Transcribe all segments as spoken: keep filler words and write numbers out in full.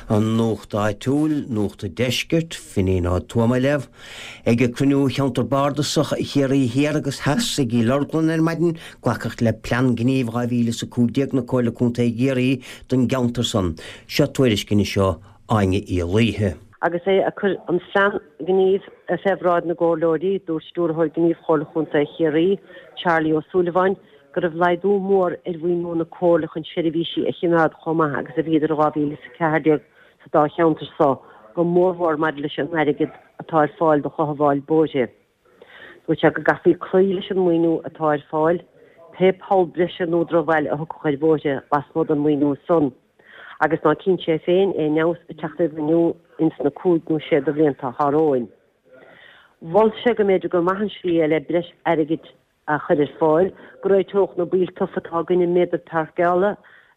An Nuacht Áitiúil, Nuacht an Deiscirt, Finín Ó Tuama libh, ag cruinniú Cheantar Bardasach Chiarraí Thiar agus Theas i gCill Orglan ar maidin, glacadh le Plean Gnímh dhá mhíle is a cúig déag na Comhairle Contae Chiarraí don gceantar san. Seo tuairisc anois ó Áine Uí Laoithe. Agus é ag cur an phlean gnímh fé bhráid na gcomhairleoirí, dúirt Stiúrthóir Gnímh Chomhairle Chontae Chiarraí, Charlie Ó Súilleabháin, go raibh laghdú mór ar mhaoiniú na Comhairle chun seirbhísí a chimeád chomh maith agus a bhíodar i dhá mhíle is a ceathair déag sa dá cheantar so, go mórmhór maidir leis an airgead atá ar fáil do chothabháil bóithre. Dúirt sé go gcaithfí cloí leis an maoiniú atá ar fáil, pé poll breise nó drochbhail a thiocfadh ar bhóithre lasmuigh den mhaoiniú san, agus ná cíonn sé féin aon fheabhas ag teacht ar mhaoiniú ins na cúig nó sé de bhlianta atá romhainn. Mhol sé go mb'fhéidir gur maith an slí é le breis airgid a chur ar fáil, go réiteodh na baill tofa atá againn i méadar páirceála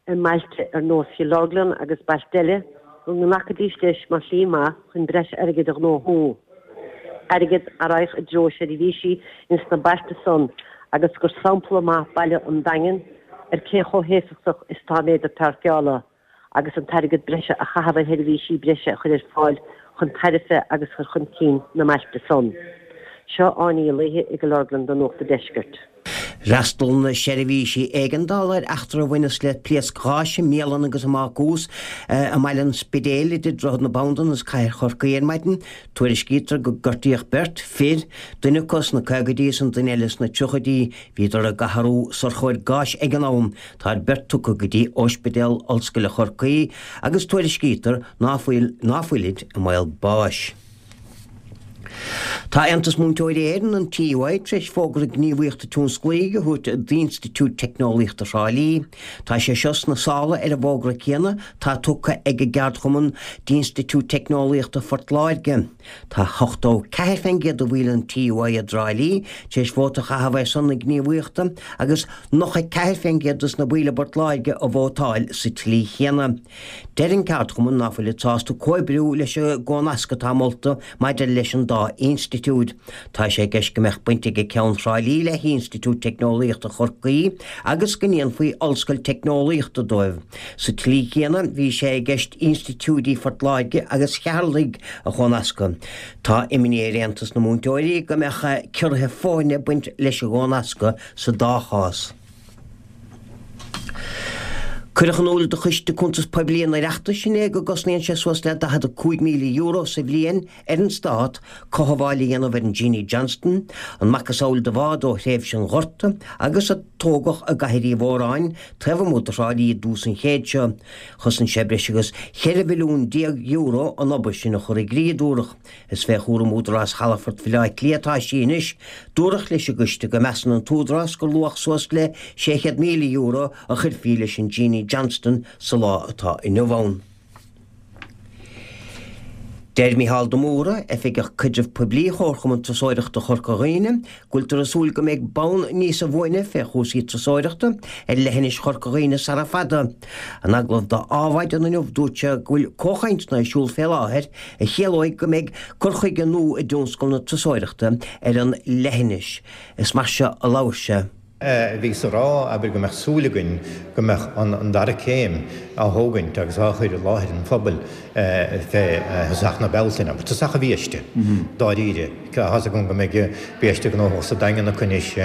i mbailte ar nós Chill Orglan agus bailte eile, go nglacfaidís leis mar shlí maith chun breis airgid a ghnóthú, airgead a raghadh i dtreo seirbhísí ins na bailte san agus gur sampla maith baile an Daingin ar cé chomh héifeachtach is atá méadar páirceála agus an t-airgead breise a chaitheamh ar sheirbhísí breise a chur ar fáil chun tairbhe agus chur chun cinn na mbailte san. Seo Áine Uí Laoithe i gCill Orglan do Nuacht an Deiscirt. D'fhreastail na seirbhísí éigeandála ar eachtra a bhaineas le pléasc gháis i mbialann agus i mbácús i mbaile an Spidéil idir Droichead na Bandan agus Cathair Chorcaí ar maidin. Tuairiscítear go gortaíodh beirt fir, duine acu sna caogaidí is an duine eile sna tríochaidí. Bhíodar ag athrú sorcóir gáis ag an am. Táid beirt tugtha go dtí Ospidéal Ollscoile Chorcaí agus tuairiscítear ná fuil ná fuilid i mbaol báis. Tá Aontas Múinteoirí Éireann, an T U I, tar éis fógra gníomhaíochta tionsclaíche a thabhairt d'Institiúid Teicneolaíochta Thrá Lí. Tá sé seo sna sála ar an bhfógra céanna atá tugtha ag an gceardchumann d'Institiúid Teicneolaíochta Phort Láirge. Tá ochtó ceathair faoin gcéad de bhaill an T U I i dTrá Lí tar éis vóta a chaitheamh ar son na gníomhaíochta agus nócha ceathair faoin gcéad dos na baill i bPort Láirge a vótáil sa tslí chéanna. Deir an ceardchumann ná fuilid sásta comhoibriú leis an gcónasc atá molta maidir leis an dá institiúid. Tá sé i gceist go mbeadh baint ag ceann Thrá Lí le hInstitiúid Teicneolaíochta Chorcaí agus go ndéanfaí Ollscoil Teicneolaíochta dóibh. Sa tslí chéanna, bhí sé i gceist institiúidí Phort Láirge agus Cheatharlaigh a chónascadh. Tá imní ar Aontas na Múinteoirí go mbeadh ciorruithe foirne ag baint leis an gcónascadh sa dá chás. Cuireadh in iúl do Choiste Cuntas Poiblí an Oireachtais inné go gcosnaíonn sé suas le daichead a cúig míle euro sa bhliain ar an Stát cothabháil a dhéanamh ar an Jeanie Johnston, an macasamhail de bhád ó thréimhse an Ghorta agus a tógadh i gCathair Uí Mhóráin taobh amuigh de Thrá Lí i dtús an chéid seo. Chosain sé breis agus cheithre mhilliún déag euro an obair sin a chur i gcrích, a dúradh. Is fé chúram Údarás Chalafort Bhaile Átha Cliath atá sí anois. Dúradh leis an gcoiste go measann an t-údarás gur luach suas le sé chéad míle euro a chuirfí leis an Jeanie Johnston sa lá atá inniu ann. Deir Micheál de Mórdha, Oifigeach Caidrimh Poiblí Chomharchumann Turasóireachta Chorca Dhuibhne, go bhfuiltear ag súil go mbeidh bonn níosa bhuaine fé chúrsaí turasóireachta ar leithinis Chorca Dhuibhne sara fada. In agallamh do Adhmhaidin inniu dúirt sé go bhfuil comhchainteanna ar siúl fé láthair a chiallóidh go mbeidh cur chuige nua i dtionscal na turasóireachta ar an leithinis. Is mar seo a labhair sé. Bhíos a rá, abair, go mbeadh súil againn go mbeadh an dara céim á thógaint agus á chur i láthair an phobail fé thosach na Bealtaine. Abair, tosach an bhiaiste, dáiríre. Tá's agam go mbeidh biaiste gnóthach sa Daingean acu anois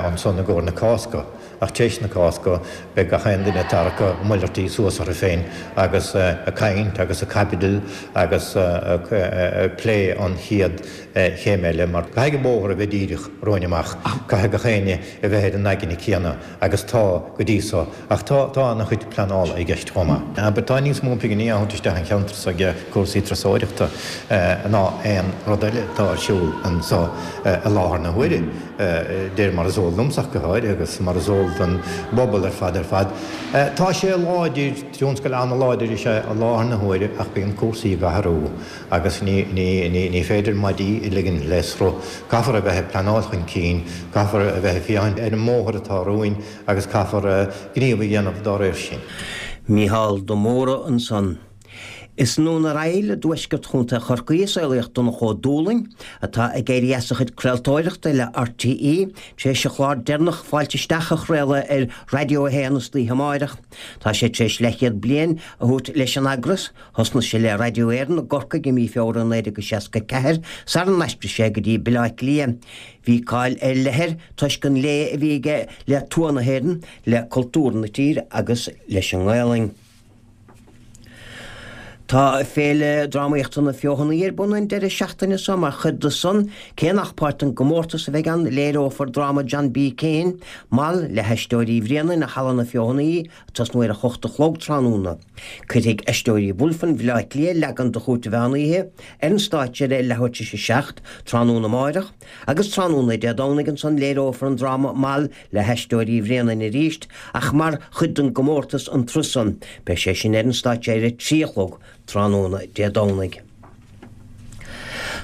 ansan i gcomhair na Cásca. Ach tar éis na Cásca beidh gach aon duine ag tarrac a malairtí suas orthu féin agus ag caint agus ag caibidil agus ag plé an chéad chéim eile mar caithfidh an bóthar a bheith díreach romhainn amach, caithfidh gach éinne a bheith ar an aigne céanna agus tá go dtí so ach tá tá an-chuid pleanála i gceist chomh maith. Abair tá níos mó pinginí á thabhairt isteach an cheantar so ag cúrsaí turasóireachta ná aon rud eile atá ar siúl anso i láthair na huaire. De réir mar is eol domsa ach go háirithe agus mar is eol don bpobal ar fad ar fad. Tá sé láidir, tionscal an-láidir is ea i láthair na huaire ach bíonn cúrsaí ag athrú agus ní, ní, ní, ní féidir maidí a ligean le sruth. Caithfear a bheith ag pleanáil chun cinn, caithfear a bheith ag féachaint ar an mbóthar atá romhainn agus caithfear gníomh a dhéanamh dá réir sin. Micheál de Mórdha ansan. Is i nDún ar Aill i dtuaisceart Chontae Chorcaí a saolaíodh Donncha Ó Dúlaing, atá ag éirí as a chuid craoltóireachta le RTÉ tar éis a chlár deireanach Fáilte Isteach a chraoladh ar Raidió a haon istoíche amáireach. Tá sé tar éis leathchéad bliain a thabhairt leis an eagras. Thosnaigh sé le Raidió Éireann i gCorcaigh i mí Feabhra naoi déag seasca a ceathair sara n-aistrigh sé go dtí Baile Átha Cliath. Bhí cáil ar leith air toisc an lé a bhí aige le tuath na hÉireann, le cultúr na tíre agus leis an nGaelainn. Tá Féile Drámaíochta na Feothanaí ar bun an deireadh seachtaine seo mar chuid de san, cé nach páirt den gcomórtas a bheidh ann, léireofar dráma John B. Keane, Mal, le hAisteoirí Bhréanainn i Halla na Feothanaí, ag tosnú ar a hocht a chlog tráthnóna. Cuirfidh Aisteoirí Bulfin Bhaile Átha Cliath leagan de Chúirt an Mheán Oíche ar an stáitse ar a leathuair tar éis a seacht tráthnóna amáireach, agus tráthnóna Dé Domhnaigh ansan léireofar an dráma Mal le hAisteoirí Bhréanainn arís, ach mar chuid den gcomórtas an tráth san. Beidh sé sin ar an stáitse ar a trí a chlog tráthnóna Dé Domhnaigh.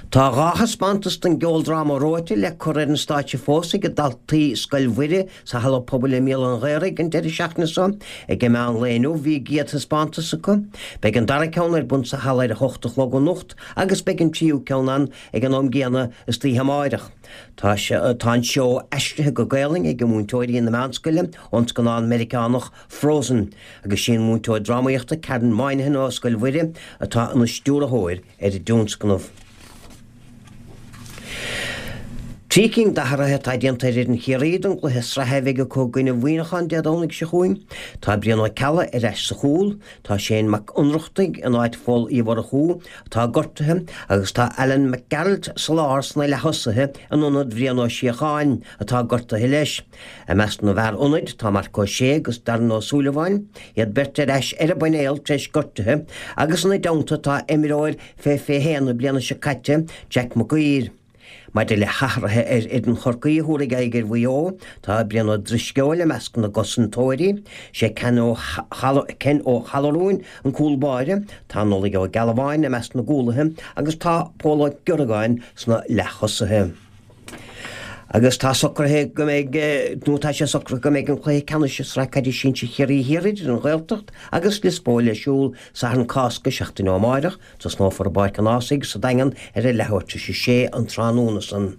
Tá dhá thaispeántas den gceoldráma Reoite le cur ar an stáitse fós ag daltaí Scoil Mhuire sa Halla Pobail i mBéal an Ghaorthaidh an deireadh seachtaine seo. Ag an meán lae inniu bhí a gcéad thaispeántas acu. Beidh an dara ceann ar bun sa halla ar a hocht a chlog anocht agus beidh an tríú ceann ann ag an am gcéanna istoíche amáireach. Tá tá an seó aistrithe go Gaelainn ag múinteoirí na meánscoile ón scannán Meiriceánach Frozen, agus sí an múinteoir drámaíochta Karen Moynihan ó Scoil Mhuire atá ina stiúrthóir ar an dtionscnamh. Trí cinn d'athruithe atá déanta ar fhoireann Chiarraí don gcluiche sraithe a bheidh acu i gcoinne Mhuineacháin Dé Domhnaigh seo chugainn. Tá Brian Ó Ceallaigh ar ais sa chúl, tá Shane Mac Ionnrachtaigh in áit Phóil Uí Mhurchú atá gortaithe agus tá Alan McGarrett sa lár sna leath-thosaithe in ionad Bhrian Ó Síocháin atá gortaithe leis. I measc na bhfear ionaid tá Marc Ó Sé agus Darren Ó Súilleabháin, iad beirt ar ais ar an bpainéal tar éis gortuithe agus ina dteannta tá imreoir fé fiche haon na bliana seo caite, Jack Mac Uidhir. Maidir le hathruithe ar fhoireann Chorcaí a thabharfaidh aghaidh ar Mhaigh Eo, tá Brian Ó Drisceoil i measc na gcosantóirí, sé Ken Ó Ken Ó hAllmhuráin an cúl báire, tá Nollaig Ó Gealbháin i measc na gcúlaithe agus tá Pól Ó Georgáin sna leath-thosaithe. Agus tá socraithe go mbeidh nó tá sé socraithe go mbeidh an cluiche ceannais i Sraith Caide Sinsir Chiarraí Thiar idir an Ghaeltacht agus Lios Póil ar siúl Satharn Cásca seachtain ó amárach, Tosnófar i bPáirc an Ághasaigh sa Daingean ar a leathuair tar éis a sé an tráthnóna san.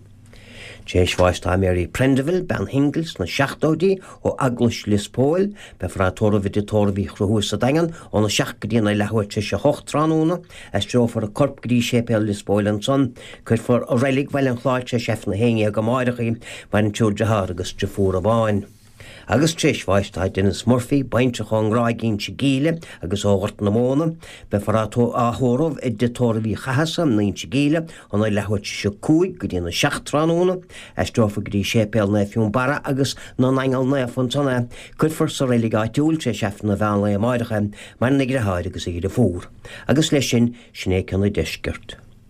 Tar éis bháis tá Mary Prendeville, bean shingil sna seachtóidí ó Eaglais Lios Póil, beifear á tórramh i dTigh Tórraimh Uí Chonchúir sa Daingean óna seacht go dtí an leathuair tar éis a hocht tráthnóna, aistreofar a corp go dtí Séipéal Lios Póil ansan, cuirfear i Reilig Bhaile an Chláir tar éis Aifreann a haon dhéag amáireach í, maireann triúr dearthár agus deirfiúr amháin. Agus tar éis bháis tá Denis Murphy, baintreach ón nGráig Inse Gíle agus ó Ghort na Móna, beifear á thórramh i dTigh Tórraimh Uí Chathasaigh in Inse Gíle óna leathuair tar éis a cúig go dtí na seacht tráthnóna, aistreofar go dtí Séipéal Naomh Fionnbarra agus na nAingeal Naofa ansan é, cuirfear sa reilig áitiúil tar éis Aifreann an mheán lae amáireach é, maireann a dheartháir agus a dheirfiúr. Agus leis sin, sin é ceann an deiscirt.